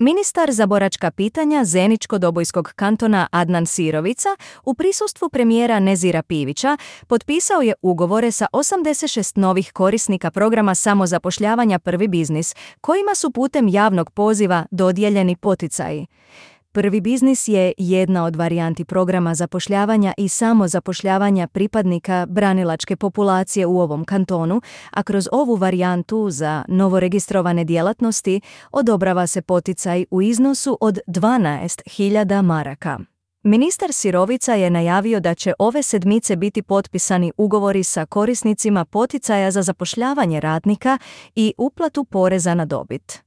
Ministar za boračka pitanja Zeničko-Dobojskog kantona Adnan Sirovica u prisustvu premijera Nezira Pivića potpisao je ugovore sa 86 novih korisnika programa samozapošljavanja Prvi biznis, kojima su putem javnog poziva dodijeljeni poticaji. Prvi biznis je jedna od varijanti programa zapošljavanja i samozapošljavanja pripadnika branilačke populacije u ovom kantonu, a kroz ovu varijantu za novoregistrovane djelatnosti odobrava se poticaj u iznosu od 12.000 maraka. Ministar Sirovica je najavio da će ove sedmice biti potpisani ugovori sa korisnicima poticaja za zapošljavanje radnika i uplatu poreza na dobit.